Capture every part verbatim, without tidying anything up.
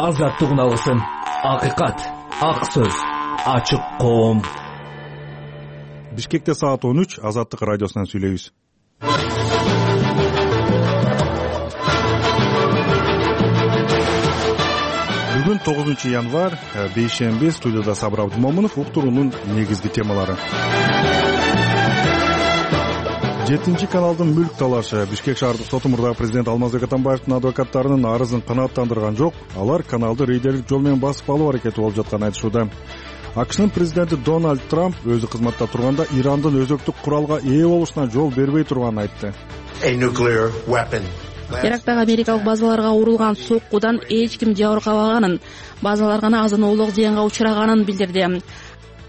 азаттык алсын. Акыйкат, ак сөз, ачык коом. Бишкекте саат он үч, Азаттык радиосунан сүйлөйбүз. Бүгүн тогузунчу январь, бейшемби, студияда Сабыр Абдымомунов. Уктуруунун негизги темалары. жетинчи каналдын мүлк талашы. Бишкек шаардык соту мурдагы президент Алмазбек Атамбаевдин адвокаттарынын арызын канааттандырган жок. Алар каналды рейдерлик жол менен басып алуу аракети болуп жатканын айтышууда. АКШнын президенти Дональд Трамп өзү кызматта турганда Ирандын өзөктүк куралга ээ болушуна жол бербей турганын айтты. Ирактагы америкалык базаларга урулган соккудан эч ким жабыркабаганын, базалар гана азын-оолук зыянга учураганын билдирди.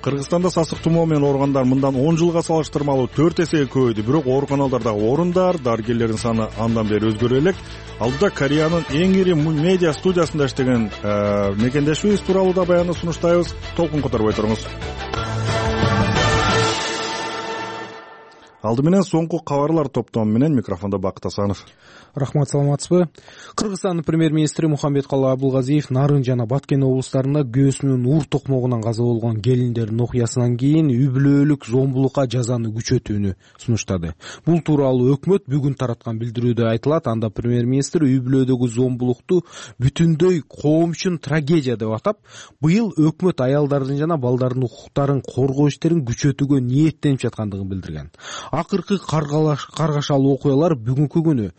Кыргызстанда сасык тумоо менен ооругандар мындан он жылга салыштырмалуу төрт эсеге көбөйдү. Бирок ооруканалардагы орундар, дарыгерлердин саны андан бери өзгөрө элек. Алдыда Кореянын эң ири медиа студиясында иштеген мекендешибиз тууралуу да баянды сунуштайбыз. Толкун которбой туруңуз. Алды менен соңку кабарлар топтому менен микрофондо Бакыт Асанов. Рахмат, саламатсызбы? Кыргызстандын премьер-министри Мухамбеткалый Абылгазиев Нарын жана Баткен облустарында көөсүнүн ур токмогунан каза болгон келиндердин окуясынан кийин үй-бүлөлүк зомбулукка жазаны күчөтүүнү сунуштады. Бул тууралуу өкмөт бүгүн тараткан билдирүүдө айтылат. Анда премьер-министр үй-бүлөдөгү зомбулукту бүтүндөй коом үчүн трагедия деп атап, быйыл өкмөт аялдардын жана балдардын укуктарын коргоо иштерин күчөтүүгө ниеттенип жаткандыгын билдирген. Акыркы каргашалуу окуялар бүгүнкү күнү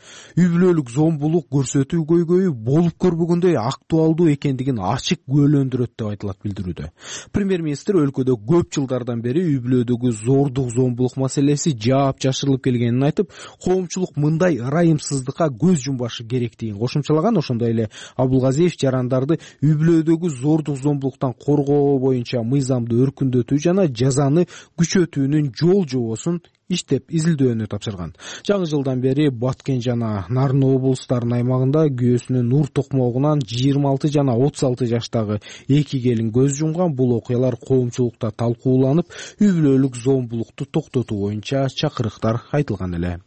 үй-бүлөлүк зомбулук көрсөтүү көйгөйү болуп көрбөгөндөй актуалдуу экендигин ачык күбөлөндүрөт деп айтылат билдирүүдө. Премьер-министр өлкөдө көп жылдардан бери үй-бүлөдөгү зордук зомбулук маселеси жаап жашырылып келгенин айтып, коомчулук мындай ырайымсыздыкка көз жумбашы керектигин кошумчалаган. Ошондой эле Абылгазиев жарандарды үй-бүлөдөгү зордук зомбулуктан коргоо боюнча мыйзамды өркүндөтүү жана жазаны күчөтүүнүн жол жобосун иштеп изилдөөнү тапшырган. Жаңы жылдан бери Баткен жана Нарын облустарынын аймагында күйөөсүнүн ур токмогунан жыйырма алты жана отуз алты жаштагы эки келин көз жумган. Бул окуялар коомчулукта талкууланып, үй-бүлөлүк зомбулукту токтотуу боюнча чакырыктар айтылган эле.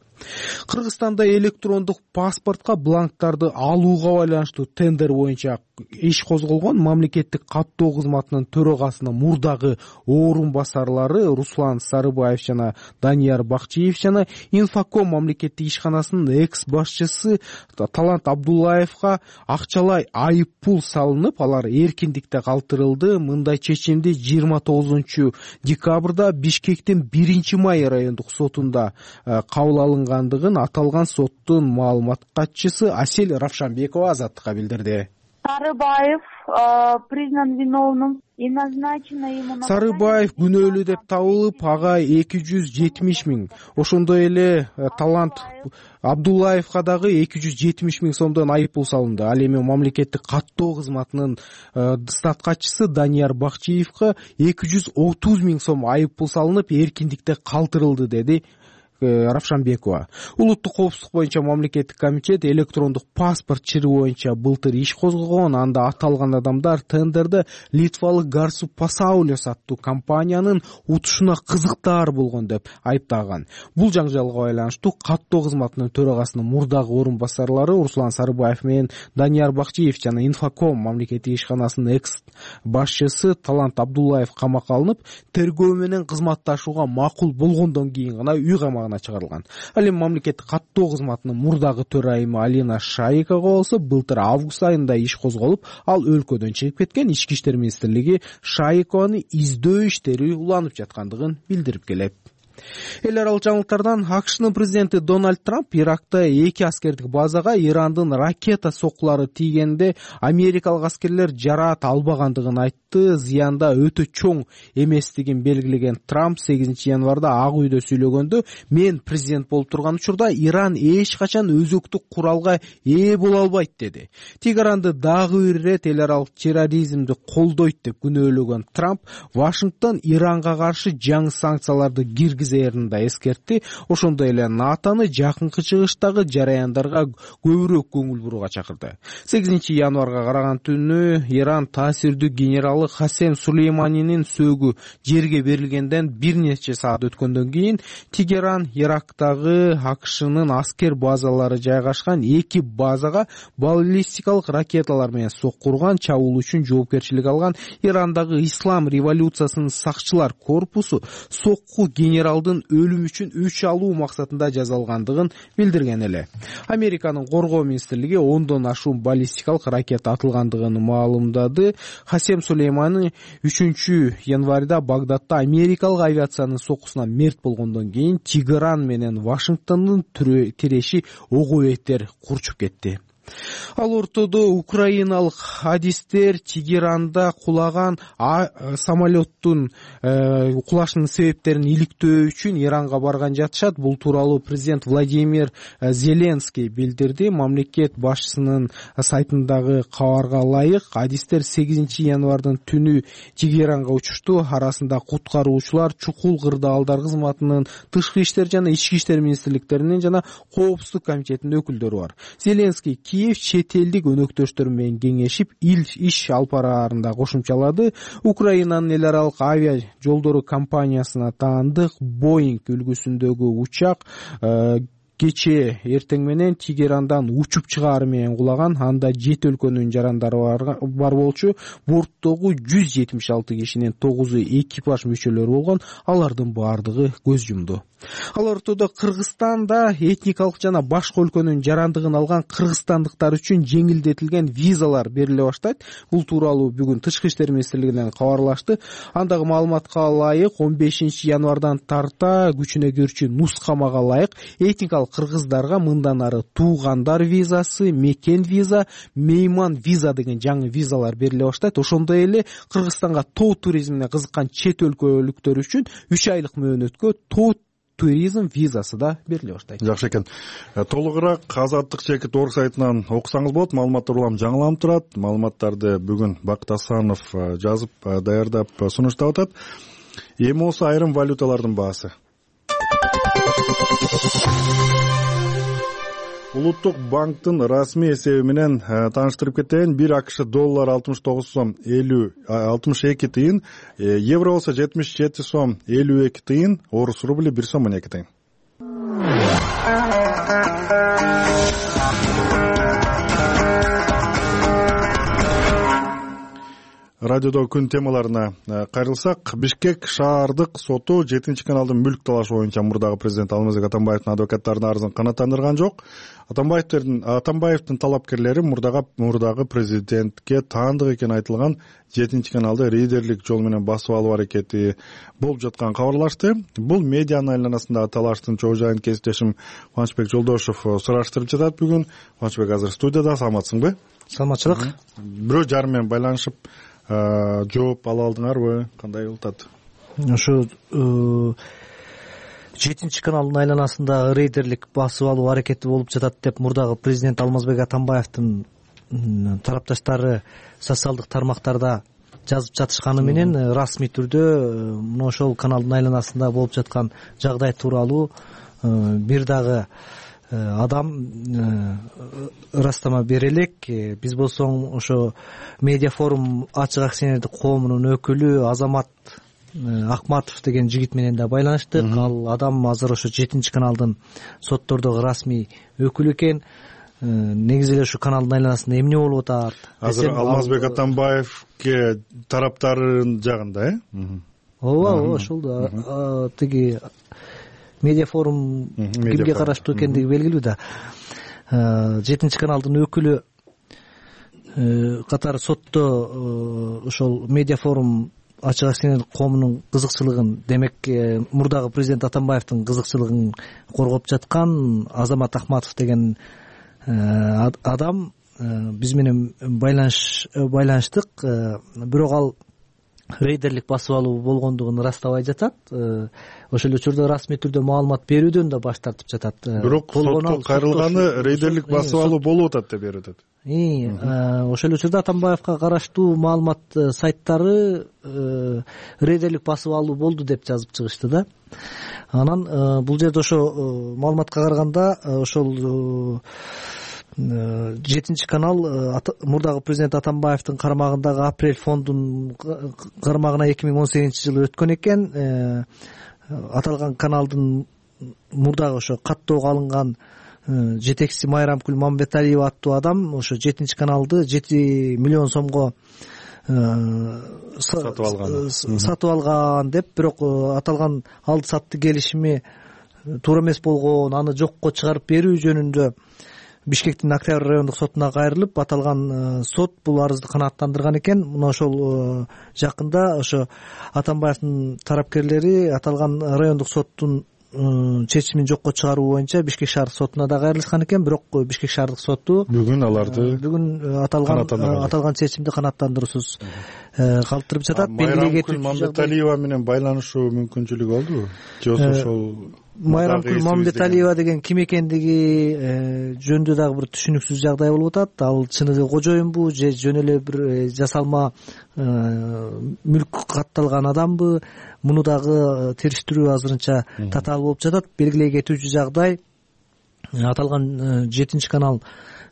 Кыргызстанда электрондук паспортко бланктарды алууга байланыштуу тендер боюнча иш козголгон. Мамлекеттик каттоо кызматынын төрагасынын мурдагы орун басарлары Руслан Сарыбаев жана Данияр Бакчиев жана Инфоком мамлекеттик ишканасынын экс башчысы Талант Абдуллаевга акчалай айып пул салынып, алар эркиндикте калтырылды. Мындай чечимди жыйырма тогузунчу декабрда Бишкектин биринчи май райондук сотунда кабыл алынгандыгын аталган соттун маалымат катчысы Асель Равшанбекова Азаттыкка билдирди. Сарыбаев признан виновным и назначено ему... Сарыбаев күнөөлүү деп табылып, ага эки жүз жетимиш миң. Ошондой эле Талант Абдуллаевга дагы эки жүз жетимиш миң сомдон айып пул салынды. Ал эми мамлекеттик каттоо кызматынын статкачысы Данияр Бакчиевге эки жүз отуз миң сом айып пул салынып, эркиндикте калтырылды, деди Равшанбекова. Улуттук коопсуздук боюнча мамлекеттик комитет электрондук паспорт чыры боюнча былтыр иш козгогон. Анда аталган адамдар тендерде литвалык Гарсу Пасаулес аттуу компаниянын утушуна кызыктаар болгон деп айыптаган. Бул жаңжалга байланыштуу каттоо кызматынын төрагасынын мурдагы орун басарлары Руслан Сарыбаев менен Данияр Бакчиев жана Инфоком мамлекеттик ишканасынын экс башчысы Талант Абдуллаев камакка алынып, тергөө менен кызматташууга макул болгондон кийин гана үй камагына чыгарылган. Ал эми мамлекеттик каттоо кызматынын мурдагы төрайымы Алина Шайыкова болсо былтыр август айында иш козголуп, ал өлкөдөн чыгып кеткен. Ички иштер министрлиги Шайыкованы издөө иштери уланып жаткандыгын билдирип келет. Эл аралык жаңылыктардан АКШнын президенти Дональд Трамп Иракта эки аскердик базага Ирандын ракета соккулары тийгенде америкалык аскерлер жараат албагандыгын айтты. Зыянда өтө чоң эместигин белгилеген Трамп сегизинчи январда Ак үйдө сүйлөгөндө, мен президент болуп турган учурда Иран эч качан өзөктүк куралга ээ боло албайт деди. Тегеранды дагы бир ирет эл аралык терроризмди колдойт деп күнөөлөгөн Трамп Вашингтон Иранга каршы жаңы санкцияларды киргизет ТЖРн да эскертти. Ошондой эле НАТОны жакынкы чыгыштагы жараяндарга көбүрөөк көңүл бурууга чакырды. сегизинчи январга караган түнү Иран таасирдүү генералы Касем Сулейманинин сөөгү жерге берилгенден бир нече саат өткөндөн кийин Тегеран Ирактагы АКШнын аскер базалары жайгашкан эки базага баллистикалык ракеталар менен соккурган чабуул үчүн жоопкерчилик алган Ирандагы ислам революциясынын сакчылар корпусу сокку генералдын өлүмү үчүн өч алуу максатында жасалгандыгын билдирген эле. Американын коргоо министрлиги ондон ашуун баллистикалык ракета атылгандыгын маалымдады. Касем Сулеймани үчүнчү январда Багдадда америкалык авиациянын соккусунан мерт болгондон кийин Тегеран менен Вашингтондун тиреши ого бетер курчуп кетти. Ал ортодо украиналык адистер Тегеранда кулаган самолеттун кулашынын себептерин иликтөө үчүн Иранга барган жатышат. Бул тууралуу президент Владимир Зеленский билдирди. Мамлекет башчысынын сайтындагы кабарга ылайык, адистер сегизинчи январдын түнү Тегеранга учушту. Арасында куткаруучулар, чукул кырдаалдар кызматынын, тышкы иштер жана ички иштер министрликтеринин жана коопсуздук комитетинин өкүлдөрү бар. Зеленский Киев чет элдик өнөктөштөр менен кеңешип иш алып бараарында кошумчалады. Украинанын эл аралык авиа жолдору компаниясына таандык Boeing үлгүсүндөгү учак кечээ эртең менен Тегерандан учуп чыгаары менен кулаган. Анда жети өлкөнүн жарандары бар болчу. Борттогу жүз жетимиш алты кишинин тогузу экипаж мүчөлөрү болгон. Алардын баардыгы көз жумду. Ал ортодо Кыргызстанда этникалык жана башка өлкөнүн жарандыгын алган кыргызстандыктар үчүн жеңилдетилген визалар бериле баштайт. Бул тууралуу бүгүн Тышкы иштер министрлигинен кабарлашты. Андагы маалыматка ылайык он бешинчи январдан тарта күчүнө кирүүчү нускамага ылайык этникалык кыргыздарга мындан ары туугандар визасы, мекен виза, мейман виза деген жаңы визалар бериле баштайт. Ошондой эле Кыргызстанга тоо туризмине кызыккан чет өлкөлүктөр үчүн үч айлык мөөнөткө тоо туризм визасы да бериле баштайт. Жакшы экен. Толугураак Азаттык чекит орг сайтынан окусаңыз болот. Маалыматтар улам жаңыланып турат. Маалыматтарды бүгүн Бакыт Асанов жазып даярдап сунуштап атат. Эми болсо айрым валюталардын баасы. Улуттук банктын расмий эсеби менен тааныштырып кетейин. бир АКШ доллар алтымыш тогуз сом элүү алтымыш эки тыйын, евро болсо жетимиш жети сом элүү эки тыйын, орус рубли бир сом он эки тыйын. Радиодо күн темаларына кайрылсак, Бишкек шаардык соту жетинчи каналдын мүлк талашы боюнча мурдагы президент Алмазбек Атамбаевдин адвокаттарынын арызын канааттандырган жок. Атамбаевдин Атамбаевдин талапкерлери мурдагы мурдагы президентке таандык экени айтылган жетинчи каналды рейдерлик жол менен басып алуу аракети болуп жатканын кабарлашты. Бул медианын айланасындагы талаштын чоо жайын кесиптешим Кубанычбек Жолдошов сураштырып жатат бүгүн. Кубанычбек азыр студияда, саламатсыңбы? Саламатчылык. Бирөө жарым менен байланышып жооп ала алдыңарбы? Кандай болуп атат? Ошо жетинчи каналдын айланасында рейдерлик басып алуу аракети болуп жатат деп мурдагы президент Алмазбек Атамбаевдин тарапташтары социалдык тармактарда жазып жатышканы менен расмий түрдө мына ошол каналдын айланасында болуп жаткан жагдай тууралуу бир дагы адам ырастама бере элек. Биз болсо ошо медиа форум ачык акционердик коомунун өкүлү Азамат Акматов деген жигит менен да байланыштык. Ал адам азыр ошо жетинчи каналдын соттордогу расмий өкүлү экен. Негизи эле ушу каналдын айланасында эмне болуп атат? Азыр Алмазбек Атамбаевке тараптарын жагында, э? Ооба, ооба, ошол да. Тиги медиа форум кимге караштуу экендиги белгилүү да. жетинчи каналдын өкүлү катары сотто ошол медиа форум ачык акционердик коомунун кызыкчылыгын, демек мурдагы президент Атамбаевдин кызыкчылыгын коргоп жаткан Азамат Акматов деген адам биз менен байланыш байланыштык. Бирок ал рейдерлик басып алуу болгондугун ырастабай жатат. Ошол эле учурда расмий түрдө маалымат берүүдөн да баш тартып жатат. Бирок сотко кайрылганы рейдерлик басып алуу болуп атат деп берип атат. и ошол эле учурда Атамбаевка караштуу маалымат сайттары рейдерлик басып алуу болду деп жазып чыгышты да. Анан бул жерде ошо маалыматка караганда ошол жетинчи канал мурдагы президент Атамбаевдин карамагындагы Апрель фондунун карамагына эки миң он сегизинчи жылы өткөн экен. Аталган каналдын мурдагы ошо каттоого алынган жетекчиси Майрамкүл Мамбеталиева аттуу адам ошо жетинчи каналды жети миллион сомго сатып алган сатып алган деп, бирок аталган алды сатты келишими туура эмес болгон, аны жокко чыгарып берүү жөнүндө Бишкектин Октябрь райондук сотуна кайрылып, аталган сот бул арызды канааттандырган экен. Мына ошол жакында ошо Атамбаевдин тарапкерлери аталган райондук соттун чечимин жокко чыгаруу боюнча Бишкек шаардык сотуна да кайрылышкан экен. Бирок Бишкек шаардык соту бүгүн аларды бүгүн аталган аталган чечимди канааттандыруусуз калтырып жатат. Майрамкүл Мамбеталиева менен байланышуу мүмкүнчүлүгү болдубу? Же ошол Майрамкүл Мамбеталиева деген ким экендиги жөнүндө дагы бир түшүнүксүз жагдай болуп атат. Ал чыныгы кожоюнбу же жөн эле бир жасалма мүлк катталган адамбы? Муну дагы териштирүү азырынча татаал болуп жатат. Белгилей кетүүчү жагдай, аталган жетинчи канал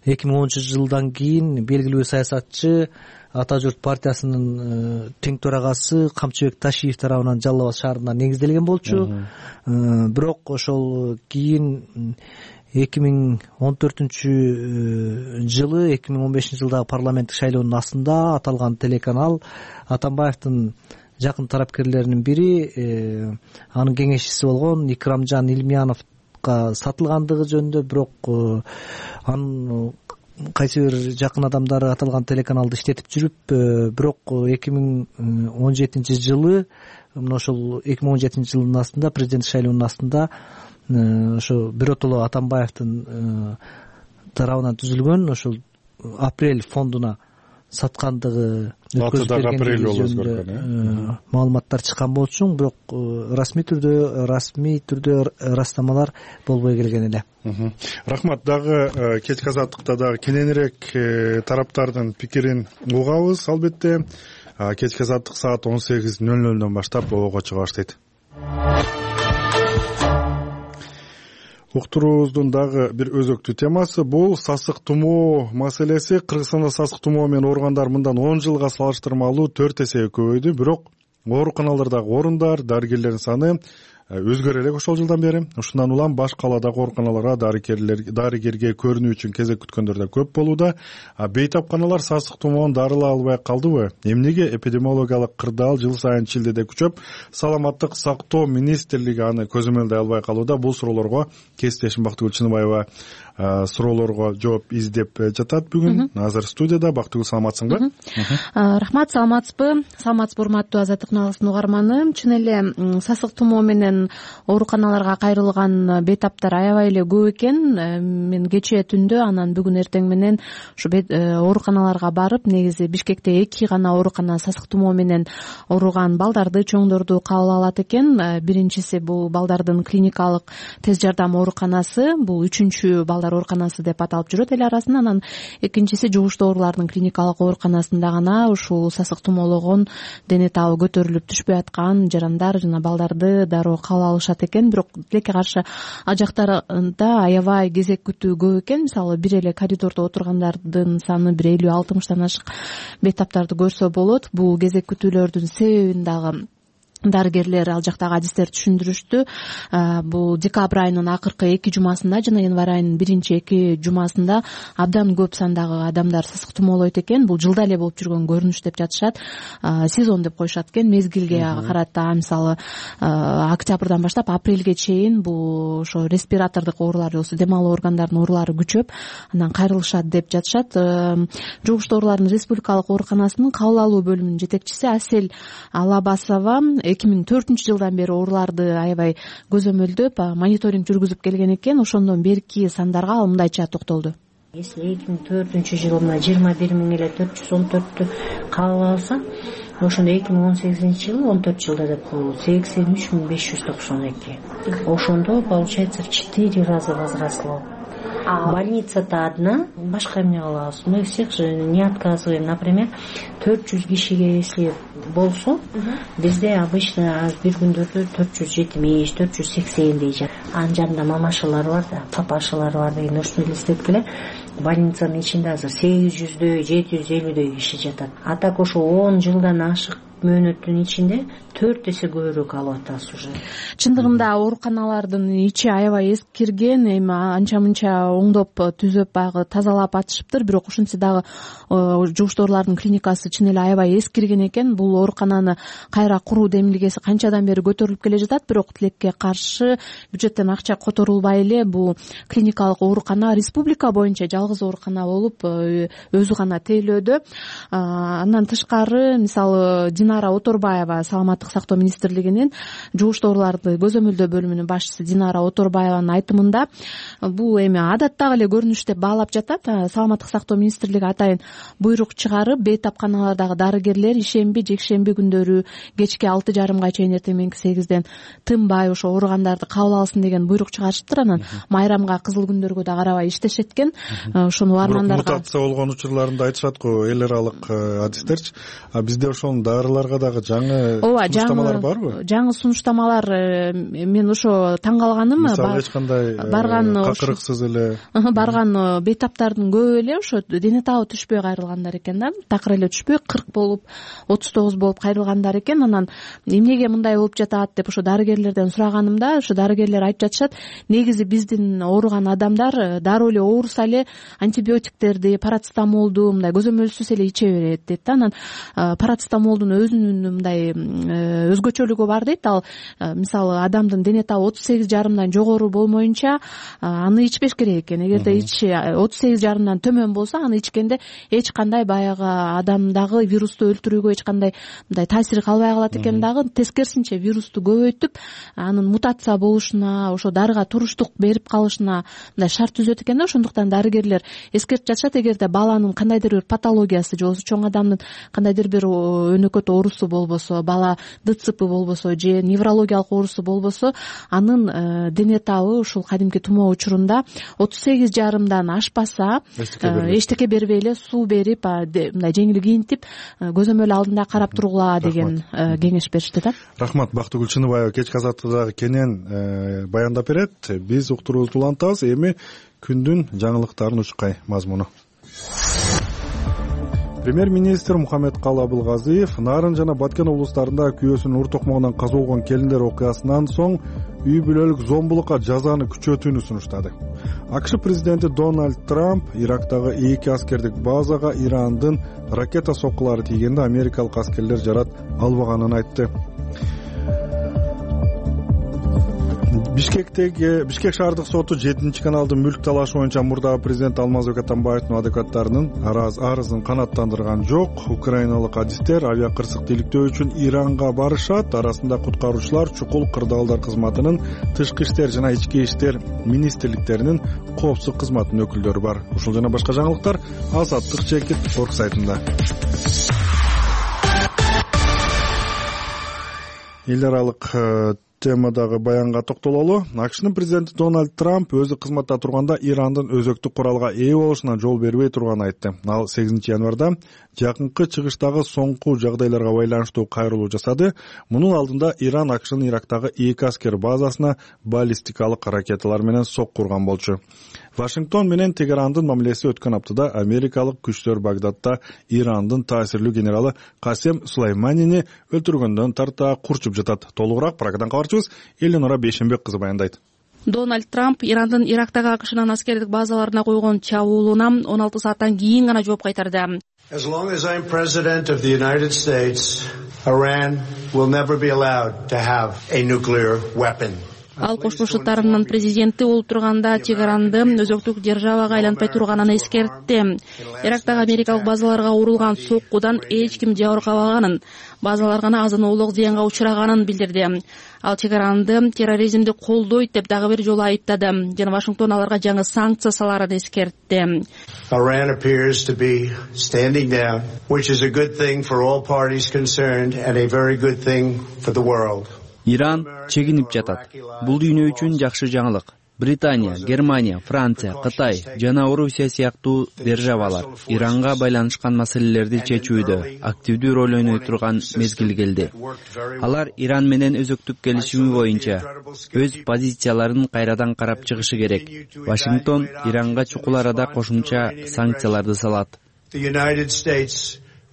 эки миң онунчу жылдан кийин белгилүү саясатчы Ата журт партиясынын тең төрагасы Камчыбек Ташиев тарабынан Жалал Абад шаарында негизделген болчу. Бирок ошол кийин эки миң он төртүнчү жылы эки миң он бешинчи жылдагы парламенттик шайлоонун астында аталган телеканал Атамбаевдин жакын тарапкерлеринин бири, анын кеңешчиси болгон Икрамжан Илмияновго сатылгандыгы жөнүндө, бирок анын кайсы бир жакын адамдары аталган телеканалды иштетип жүрүп, бирок эки миң он жетинчи жылы мына ошол эки миң он жетинчи жылдын астында президенттик шайлоонун астында ошо биротоло Атамбаевдин тарабынан түзүлгөн ошол Апрель фондуна саткандыгы жөнүндө маалыматтар чыккан болчу, бирок расмий түрдө расмий түрдө ырастамалар болбой келген эле. Рахмат. Дагы кечки азаттыкта дагы кененирээк тараптардын пикирин угабыз албетте. Кечки азаттык саат он сегиз ноль нолдон баштап болоого чыга баштайт. Уктуруубуздун дагы бир өзөктүү темасы бул сасык тумоо маселеси. Кыргызстанда сасык тумоо менен ооругандар мындан он жылга салыштырмалуу төрт эсеге көбөйдү, бирок ооруканалардагы орундар, дарыгерлердин саны өзгөрө элек ошол жылдан бери. Ушундан улам баш калаадагы ооруканаларга дарыгерге көрүнүү үчүн кезек күткөндөр да көп болууда. Бейтапканалар сасык тумоон дарылай албай калдыбы? Эмнеге эпидемиологиялык кырдаал жыл сайын Чилдеде күчөп, саламаттык сактоо министрлиги аны көзөмөлдөй албай калууда? Бул суроолорго кесиптешим Бактыгүл Чыныбаева суроолорго жооп издеп жатат бүгүн. Азыр студияда. Бактыгүл, саламатсыңбы? Рахмат, саламатсызбы? Саламатсызбы, урматтуу Азаттык каналынын угарманы. Чын эле сасык тумоо менен ооруканаларга кайрылган бейтаптар аябай эле көп экен. Мен кечээ түндө анан бүгүн эртең менен ушу ооруканаларга барып, негизи Бишкекте эки гана оорукана сасык тумоо менен ооруган балдарды, чоңдорду кабыл алат экен. Биринчиси бул балдардын клиникалык тез жардам ооруканасы, бул үчүнчү балдар ооруканасы деп аталып жүрөт эл арасында. Анан экинчиси жугуштуу оорулардын клиникалык ооруканасында гана ушул сасык тумоологон, дене табы көтөрүлүп түшпөй аткан жарандар жана балдарды дароо кабыл алышат экен. Бирок тилекке каршы ал жактарда аябай кезек күтүү көп экен. Мисалы бир эле коридордо отургандардын саны бир элүү алтымыштан ашык бейтаптарды көрсө болот. Бул кезек күтүүлөрдүн себебин дагы дарыгерлер, ал жактагы адистер түшүндүрүштү. Бул декабрь айынын акыркы эки жумасында жана январь айынын биринчи эки жумасында абдан көп сандагы адамдар сасык тумоолойт экен. Бул жылда эле болуп жүргөн көрүнүш деп жатышат. Сезон деп коюшат экен. Мезгилге карата, мисалы октябрдан баштап апрелге чейин бул ошо респиратордук оорулар, болсо дем алуу органдарынын оорулары күчөп, анан кайрылышат деп жатышат. Жугуштуу оорулардын республикалык ооруканасынын кабыл алуу бөлүмүнүн жетекчиси Асель Алабасова эки миң төртүнчү жылдан бери ооруларды аябай көзөмөлдөп, мониторинг жүргүзүп келген экен. Ошондон берки сандарга ал мындайча токтолду. Если эки миң төртүнчү жылы мына жыйырма бир миң эле төрт жүз он төрттү кабыл алса, ошондо эки миң он сегизинчи жылы он төрт жылда деп бул сексен үч миң беш жүз токсон эки. Ошондо получается в четыре раза возросло. больницада одна, башка эмне кылабыз? Мы всех же не отказываем. Например, төрт жүз кишиге если болсо, бизде обычно бир күндөрдө төрт жүз жетимиш, төрт жүз сексендей жак. Анын жанында мамашалар бар да, папашалар бар деген ошону элестеткиле. Больницанын ичинде азыр сегиз жүздөй, жети жүз элүүдөй киши жатат. А так ошо он жылдан ашык мөөнөттүн ичинде төрт эсе көбүрөөк алып атабыз уже. Чындыгында ооруканалардын ичи аябай эскирген, эми анча мынча оңдоп түзөп баягы тазалап атышыптыр, бирок ушинтсе дагы жугуштоорлордун клиникасы чын эле аябай эскирген экен. Бул оорукананы кайра куруу демилгеси канчадан бери көтөрүлүп келе жатат, бирок тилекке каршы бюджеттен акча которулбай эле бул клиникалык оорукана республика боюнча жалгыз оорукана болуп өзү гана тейлөөдө. Андан тышкары мисалы Динара Оторбаева саламаттык сактоо министрлигинин жугуштоорлорду көзөмөлдөө бөлүмүнүн башчысы Динара Оторбаеванын айтымында бул эми адаттагы эле көрүнүш деп баалап жатат. Саламаттык сактоо министрлиги атайын буйрук чыгарып, бейтапканалардагы дарыгерлер ишемби, жекшемби күндөрү кечки алты жарымга чейин эртең мененки сегизден тынбай ошо ооругандарды кабыл алсын деген буйрук чыгарышыптыр. Анан майрамга, кызыл күндөргө да карабай иштешет экен. Ошону армандарга мутация болгон учурларында айтышат го эл аралык адистерчи. А бизде ошонун дарыларга дагы жаңы сунуштамалар барбы? Жаңы сунуштамалар мен ошо таң калганым, мисалы эч кандай какырыксыз эле барган бейтаптардын көбү эле ошо дене табы түшпөй кайрылгандар экен да. Такыр эле түшпөй кырк болуп, отуз тогуз болуп кайрылгандар экен. Анан эмнеге мындай болуп жатат деп ошо дарыгерлерден сураганымда, ошо дарыгерлер айтып жатышат, негизи биздин ооруган адамдар дароо эле ооруса эле антибиотиктерди, парацетамолду мындай көзөмөлсүз эле иче берет дейт да. Анан парацетамолдун өзүнүн мындай өзгөчөлүгү бар дейт. Ал мисалы адамдын дене табы отуз сегиз жарымдан жогору болмоюнча аны ичпеш керек экен. Эгерде ичи отуз сегиз жарымдан төмөн болсо, аны ичкенде эч кандай баягы адамдагы вирусту өлтүрүүгө эч кандай мындай таасири калбай калат экен. Дагы тескерисинче вирусту көбөйтүп, анын мутация болушуна, ошо дарыга туруштук берип калышына мындай шарт түзөт экен да. Ошондуктан дарыгерлер эскертип жатышат, эгерде баланын кандайдыр бир патологиясы же болбосо чоң адамдын кандайдыр бир өнөкөт оорусу болбосо, бала ДЦП болбосо же неврологиялык оорусу болбосо, анын дене табы ушул кадимки тумоо учурунда отуз сегиз жарымдан ашпаса, эчтеке бербей эле суу берип, мындай жеңил кийинтип, көзөмөл алдында карап тургула деген кеңеш беришти да. Рахмат. Бактыгүл Чыныбаева кечки азаттыкта кенен баяндап берет. Биз уктуруубузду улантабыз. Эми күндүн жаңылыктарын учкай мазмуну. Премьер-министр Мухаммедкалы Абылгазиев Нарын жана Баткен облустарында күйөөсүнүн ур токмогунан каза болгон келиндер окуясынан соң үй бүлөлүк зомбулукка жазаны күчөтүүнү сунуштады. АКШ президенти Дональд Трамп Ирактагы эки аскердик базага Ирандын ракета соккулары тийгенде америкалык аскерлер жарат албаганын айтты. Бишкектеги Бишкек шаардык соту жетинчи каналдын мүлк талашы боюнча мурдагы президент Алмазбек Атамбаевдин адвокаттарынын арызын канааттандырган жок. Украиналык адистер авиа кырсык иликтөө үчүн Иранга барышат. Арасында куткаруучулар, чукул кырдаалдар кызматынын, тышкы иштер жана ички иштер министрликтеринин коопсуздук кызматынын өкүлдөрү бар. Ушул жана башка жаңылыктар Азаттык чекит орг сайтында. Эл аралык темадагы баянга токтололу. АКШнын президенти Дональд Трамп өзү кызматта турганда Ирандын өзөктүк куралга ээ болушуна жол бербей турганын айтты. Ал сегизинчи январда жакынкы чыгыштагы соңку жагдайларга байланыштуу кайрылуу жасады. Мунун алдында Иран АКШнын Ирактагы эки аскер базасына баллистикалык ракеталар менен сокку урган болчу. Вашингтон менен Тегерандын мамилеси өткөн аптада америкалык күчтөр Багдадда Ирандын таасирлүү генералы Касем Сулайманини өлтүргөндөн тарта курчуп жатат. Толугураак Прагадан кабарчыбыз Эленора Бейшенбек кызы баяндайт. Дональд Трамп Ирандын Ирактагы АКШнын аскердик базаларына койгон чабуулуна он алты сааттан кийин гана жооп кайтарды. As long as I'm president of the United States, Iran will never be allowed to have a nuclear weapon. Ал Кошмо Шаттарынын президенти болуп турганда Тегеранды өзөктүк державага айлантпай турганын эскертти. Ирактагы америкалык базаларга урулган соккудан эч ким жабыркабаганын, базалар гана азын-оолук зыянга учураганын билдирди. Ал Тегеранды терроризмди колдойт деп дагы бир жолу айыптады жана Вашингтон аларга жаңы санкция саларын эскертти. Iran appears to be standing down, which is a good thing for all parties concerned and a very good thing for the world. Иран чегинип жатат. Бул дүйнө үчүн жакшы жаңылык. Британия, Германия, Франция, Кытай жана Орусия сыяктуу державалар Иранга байланышкан маселелерди чечүүдө активдүү роль ойной турган мезгил келди. Алар Иран менен өзөктүк келишими боюнча өз позицияларын кайрадан карап чыгышы керек. Вашингтон Иранга чукул арада кошумча санкцияларды салат.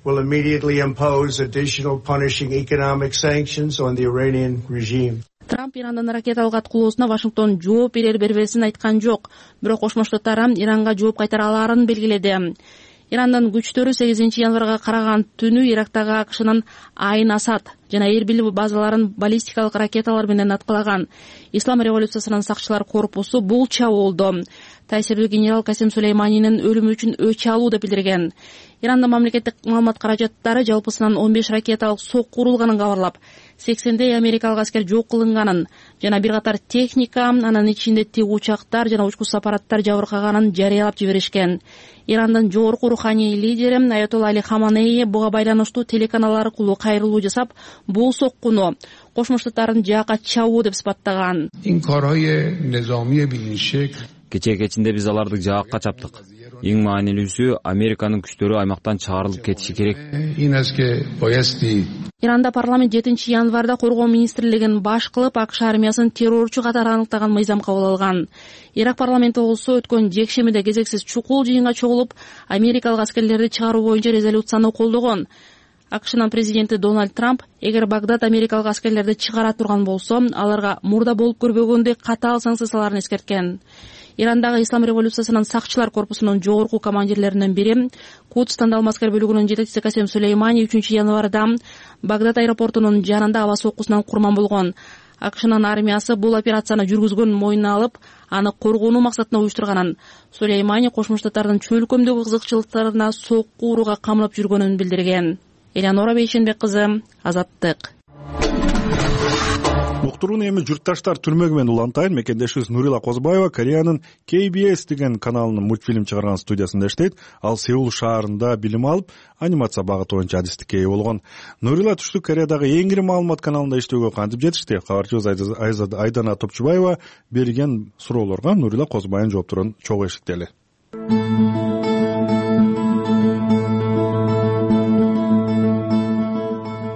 Will immediately impose additional punishing economic sanctions on the Iranian regime. Трамп Ирандын ракеталык аткылоосуна Вашингтон жооп берер бербесин айткан жок, бирок Кошмо Штаттар Иранга жооп кайтара аларын белгиледи. Ирандын күчтөрү сегизинчи январга караган түнү Ирактагы АКШнын Айн Асад жана Эрбил базаларын баллистикалык ракеталар менен аткылаган. Ислам революциясынын сакчылар корпусу бул чабуулду таасирдүү генерал Касим Сулейманинин өлүмү үчүн өч алуу деп билдирген. Ирандын мамлекеттик маалымат каражаттары жалпысынан он беш ракеталык сокку урулганын кабарлап, сексендей америкалык аскер жок кылынганын жана бир катар техника, анын ичинде тик учактар жана учкуч аппараттар жабыркаганын жарыялап жиберишкен. Ирандын жогорку руханий лидери Аятолла Али Хаманеи буга байланыштуу телеканал аркылуу кайрылуу жасап, бул соккуну Кошмо Штаттардын жаакка чабуу деп сыпаттаган. Кечээ кечинде биз аларды жаакка чаптык. Эң маанилүүсү Американын күчтөрү аймактан чыгарылып кетиши керек. Иранда парламент жетинчи январда коргоо министрлигин баш кылып, АКШ армиясын террорчу катары аныктаган мыйзам кабыл алган. Ирак парламенти болсо өткөн жекшемиде кезексиз чукул жыйынга чогулуп, америкалык аскерлерди чыгаруу боюнча резолюцияны колдогон. АКШнын президенти Дональд Трамп эгер Багдад америкалык аскерлерди чыгара турган болсо, аларга мурда болуп көрбөгөндөй катаал санкцияларын эскерткен. Ирандагы Ислам революциясынын сакчылар корпусунун жогорку командирлеринин бири, Кудс тандалма аскер бөлүгүнүн жетекчиси Касим Сулеймани үчүнчү январда Багдад аэропортунун жанында аба соккусунан курман болгон. АКШнын армиясы бул операцияны жүргүзгөнүн мойнуна алып, аны коргонуу максатында уюштурганын, Сулеймани Кошмо Штаттардын чөлкөмдөгү кызыкчылыктарына сокку урууга камлап жүргөнүн билдирген. Элеонора Бейшенбек кызы, Азаттык. Уктурууну эми журтташтар түрмөгү менен улантайын. Мекендешибиз Нурила Козбаева Кореянын Кей Би Эс деген каналынын мультфильм чыгарган студиясында иштейт. Ал Сеул шаарында билим алып, анимация багыты боюнча адистикке ээ болгон. Нурила Түштүк Кореядагы эң ири маалымат каналында иштөөгө кантип жетишти? Кабарчыбыз Айдана Топчубаева берген суроолорго Нурила Козбаеванын жоопторун чогуу эшиктели.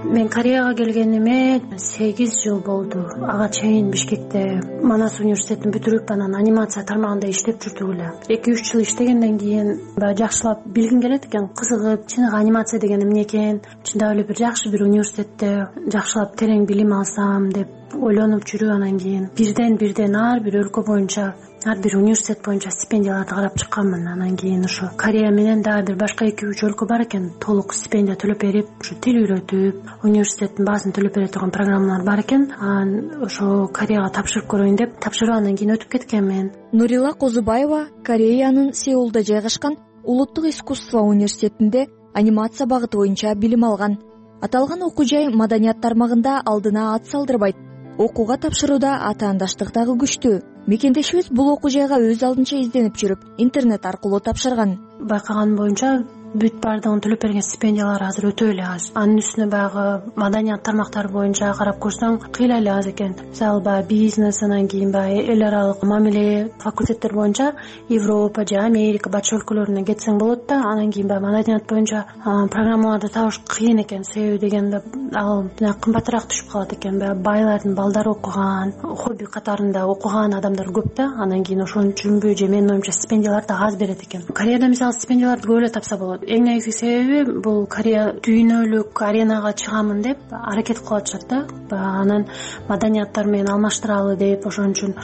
Мен Кореяга келгениме сегиз жыл болду. Ага чейин Бишкекте Манас университетин бүтүрүп, анан анимация тармагында иштеп жүрдүк эле. эки үч жыл иштегенден кийин баягы жакшылап билгим келет экен, кызыгып, чыныгы анимация деген эмне экен, чындап эле бир жакшы бир университетте жакшылап терең билим алсам деп ойлонуп жүрүп, анан кийин бирден бирден ар бир өлкө боюнча, ар бир университет боюнча стипендияларды карап чыкканмын. Анан кийин ошо Корея менен дагы бир башка эки үч өлкө бар экен, толук стипендия төлөп берип, ушу тил үйрөтүп, университеттин баасын төлөп бере турган программалар бар экен. Анан ошо Кореяга тапшырып көрөйүн деп тапшырып, анан кийин өтүп кеткенмин. Нурила Козубаева Кореянын Сеулда жайгашкан Улуттук искусство университетинде анимация багыты боюнча билим алган. Аталган окуу жай маданият тармагында алдына ат салдырбайт. Окууга тапшырууда атаандаштык дагы күчтүү. Мекендешибиз бул окуу жайга өз алдынча изденип жүрүп, интернет аркылуу тапшырган. Байкаган боюнча бүт баардыгын төлөп берген стипендиялар азыр өтө эле аз. Анын үстүнө баягы маданият тармактары боюнча карап көрсөң кыйла эле аз экен. Мисалы баягы бизнес, анан кийин баягы эл аралык мамиле факультеттер боюнча Европа же Америка батыш өлкөлөрүнө кетсең болот да, анан кийин баягы маданият боюнча программаларды табыш кыйын экен. Себеби дегенде ал кымбатыраак түшүп калат экен. Баягы байлардын балдары окуган, хобби катарында окуган адамдар көп да, анан кийин ошон үчүнбү же менин оюмча стипендияларды аз берет экен. Кореяда мисалы стипендияларды көп эле тапса болот. Эң негизги себеби бул Корея дүйнөлүк аренага чыгамын деп аракет кылып атышат да. Анан маданияттар менен алмаштыралы деп, ошон үчүн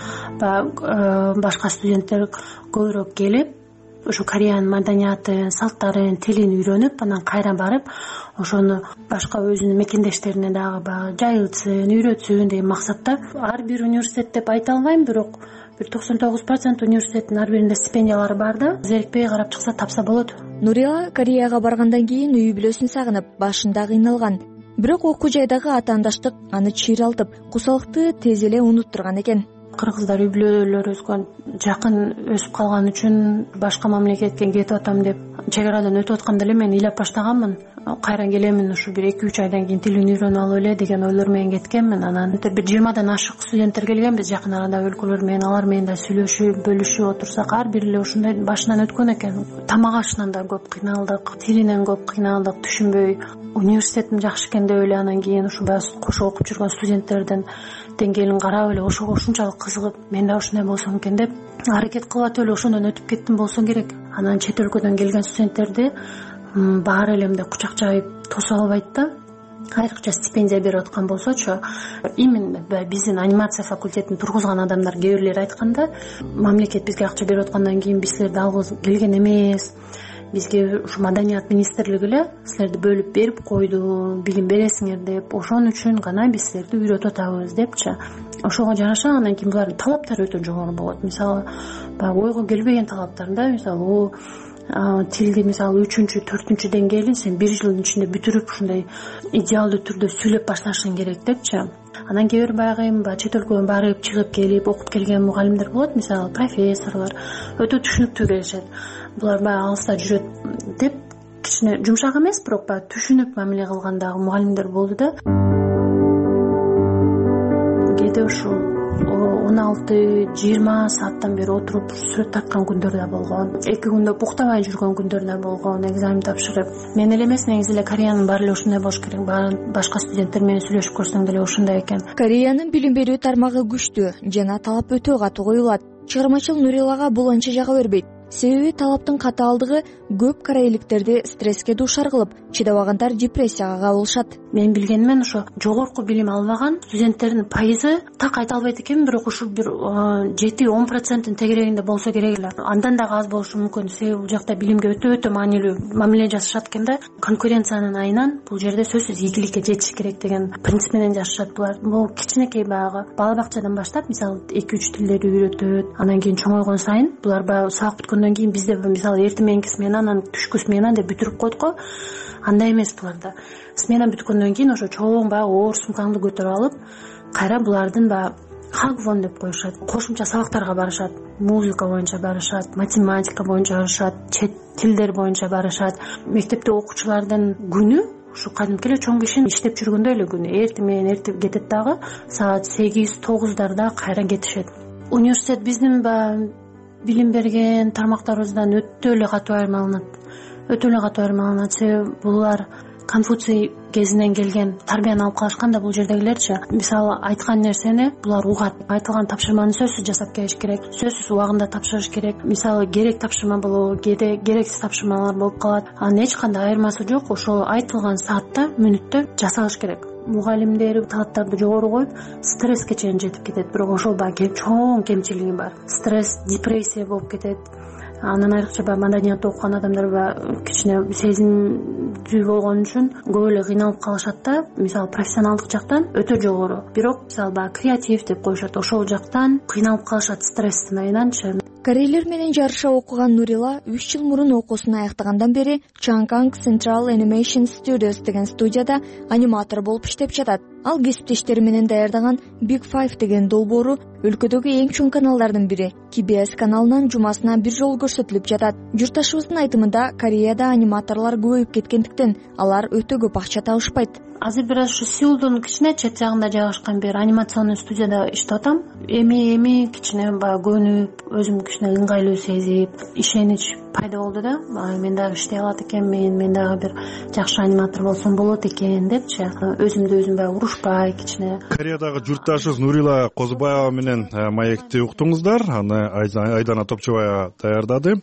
башка студенттер көбүрөөк келип, ошо Кореянын маданиятын, салттарын, тилин үйрөнүп, анан кайра барып, ошону башка өзүнүн мекендештерине дагы баягы жайылтсын, үйрөтсүн деген максатта. Ар бир университет деп айта албайм, бирок бир токсон тогуз процент университеттин ар биринде стипендиялары бар да, зерикпей карап чыкса тапса болот. Нурила Кореяга баргандан кийин үй бүлөсүн сагынып, башында кыйналган. Бирок окуу жайдагы атаандаштык аны чыйралтып, кусалыкты тез эле унуттурган экен. Кыргыздар үй бүлөлөр өскөн, жакын өсүп калган үчүн башка мамлекетке кетип атам деп чек арадан өтүп атканда эле мен ыйлап баштаганмын. кайра келемин ушу бир эки үч айдан кийин тилин үйрөнүп алып эле деген ойлор менен кеткенмин. Анан бир жыйырмадан ашык студенттер келген биз жакын арадагы өлкөлөр менен. Алар менен да сүйлөшүп бөлүшүп отурсак ар бири эле ушундай башынан өткөн экен. Тамак ашынан да көп кыйналдык, тилинен көп кыйналдык, түшүнбөй. Университетим жакшы экен деп эле анан кийин ушу баягы кошо окуп жүргөн студенттердин деңгээлин карап эле ошого ушунчалык кызыгып, мен да ушундай болсом экен деп аракет кылып атып эле ошондон өтүп кеттим болсо керек. Анан чет өлкөдөн келген студенттерди баары эле мындай кучак жайып тосо албайт да. Айрыкча стипендия берип аткан болсочу, именно биздин анимация факультетин тургузган адамдар кээ бирлери айтканда, мамлекет бизге акча берип аткандан кийин биз силерди алгыбыз келген эмес, бизге ушу маданият министрлиги эле силерди бөлүп берип койду, билим бересиңер деп, ошон үчүн гана биз силерди үйрөтүп атабыз депчи. Ошого жараша андан кийин булардын талаптары өтө жогору болот. Мисалы, баягы ойго келбеген талаптар да. Мисалы, тилди мисалы үчүнчү, төртүнчү деңгээлин сен бир жылдын ичинде бүтүрүп ушундай идеалдуу түрдө сүйлөп башташың керек депчи. Анан кээ бир баягы эми чет өлкөгө барып чыгып келип окуп келген мугалимдер болот, мисалы профессорлор өтө түшүнүктүү келишет. Булар баягы алыста жүрөт деп кичине жумшак эмес, бирок баягы түшүнүп мамиле кылгандагы мугалимдер болду да. Кээде ушул он алты жыйырма сааттан бери отуруп сүрөт тарткан күндөр да болгон, эки күндө уктабай жүргөн күндөр да болгон, экзамен тапшырып. Мен эле эмес, негизи эле Кореянын баары эле ушундай болуш керек. Башка студенттер менен сүйлөшүп көрсөң деле ушундай экен. Кореянын билим берүү тармагы күчтүү жана талап өтө катуу коюлат. Чыгармачыл Нурилага бул анча жага бербейт. Себеби талаптын катаалдыгы көп корейликтерди стресске дуушар кылып, чыдабагандар депрессияга кабылышат. Мен билгенимен ошо жогорку билим албаган студенттердин пайызы так айта албайт экен, бирок ушул бир жети он проценттин тегерегинде болсо керек эле. Андан дагы аз болушу мүмкүн, себеби бул жакта билимге өтө өтө маанилүү мамиле жасашат экен да. Конкуренциянын айынан бул жерде сөзсүз ийгиликке жетиш керек деген принцип менен жашашат булар. Бул кичинекей баягы бала бакчадан баштап, мисалы эки үч тилдерди үйрөтөт. Анан кийин чоңойгон сайын булар баягы сабак бүткөндөн кийин бизде мисалы эртең мененки смена, анан түшкү смена деп бүтүрүп койдук го. Андай эмес буларда. Смена бүткөндөн кийин ошо чоң баягы оор сумкаңды көтөрүп алып, кайра булардын баягы хагвон деп коюшат. Кошумча сабактарга барышат. Музыка боюнча барышат, математика боюнча барышат, чет тилдер боюнча барышат. Мектепте окуучулардын күнү ушу кадимки эле чоң кишинин иштеп жүргөндөй эле күнү. Эртең менен эртеп кетет дагы, саат сегиз тогуздарда кайра кетишет. Университет биздин баягы билим берген тармактарыбыздан өтө эле катуу айырмаланат. Өтө эле катуу айырмаланат. Себеби булар Конфуций кезинен келген тарбияны алып калышкан да бул жердегилерчи. Мисалы айткан нерсени булар угат. Айтылган тапшырманы сөзсүз жасап келиш керек, сөзсүз убагында тапшырыш керек. Мисалы керек тапшырма болобу, кээде керексиз тапшырмалар болуп калат. Анын эч кандай айырмасы жок. Ошол айтылган саатта, мүнөттө жасалыш керек. Мугалимдер талаптарды жогору коюп, стресске чейин жетип кетет. Бирок ошол баягы чоң кемчилиги бар. Стресс, депрессия болуп кетет. Анан айрыкча баягы маданиятты окуган адамдар баягы кичине сезимдүү болгон үчүн көп эле кыйналып калышат да. Мисалы профессионалдык жактан өтө жогору. Бирок мисалы баягы креатив деп коюшат. Ошол жактан кыйналып калышат стресстин айынан. Корейлер менен жарыша окуган Нурила үч жыл мурун окуусун аяктагандан бери Chang'an Central Animation Studios деген студияда аниматор болуп иштеп жатат. Ал кесиптештери менен даярдаган Big Five деген долбоору өлкөдөгү эң чоң каналдардын бири. К Б С каналынан жумасына бир жолу көрсөтүлүп жатат. Журтташыбыздын айтымында, Кореяда аниматорлор көбөйүп кеткендиктен алар өтө көп акча табышпайт. Азыр бир аз ушу Сеулдун кичине чет жагында жайгашкан бир анимационный студияда иштеп атам. Эми эми кичине баягы көнүп, өзүм кичине ыңгайлуу сезип, ишенич пайда болду да. Мен дагы иштей алат экенмин, мен дагы бир жакшы аниматор болсом болот экен депчи. Өзүмдү өзүм баягы урушпай кичине. Кореядагы журтташыбыз Нурила Козубаева менен маекти уктуңуздар. Аны Айдана Топчубаева даярдады.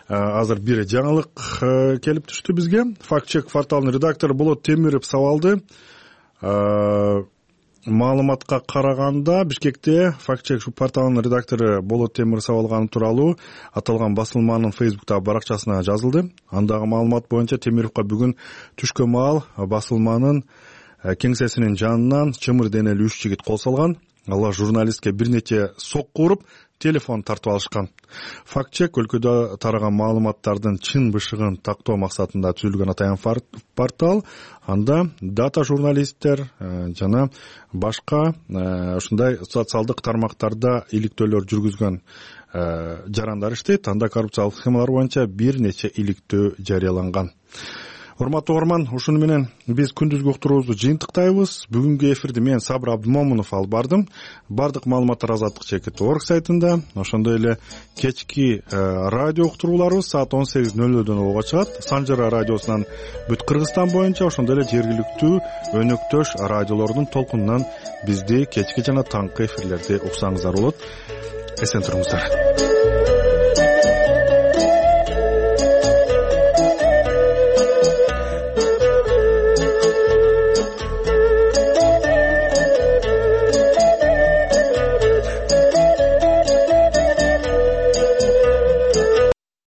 Азыр бир жаңылык келип түштү бизге. Факт-чек порталынын редактору Болот Темиров сабалды. Маалыматка караганда, Бишкекте факт-чек порталынын редактору Болот Темиров сабалганы тууралуу аталган басылманын Фейсбуктагы баракчасына жазылды. Андагы маалымат боюнча Темировго бүгүн түшкөн маал басылманын кеңсесинин жанынан чымыр денелүү үч жигит кол салган. Алар журналистке бир нече сокку уруп, телефон тартып алышкан. Факт-чек өлкөдө тараган маалыматтардын чын бышыгын тактоо максатында түзүлгөн атайын портал. Анда дата журналисттер жана башка ушундай социалдык тармактарда иликтөөлөр жүргүзгөн жарандар иштейт. Анда коррупциялык схемалар боюнча бир нече иликтөө жарыяланган. урматтуу угарман, ушуну менен биз күндүзгү уктуруубузду жыйынтыктайбыз. Бүгүнкү эфирди мен Сабыр Абдымомунов алып бардым. Бардык маалыматтар азаттык чекит орг сайтында, ошондой эле кечки радио уктурууларыбыз саат он сегиз ноль нөлдөн ого чыгат. Санжара радиосунан бүт Кыргызстан боюнча, ошондой эле жергиликтүү өнөктөш радиолордун толкунунан бизди кечки жана таңкы эфирлерди уксаңыздар болот. Эсен туруңуздар.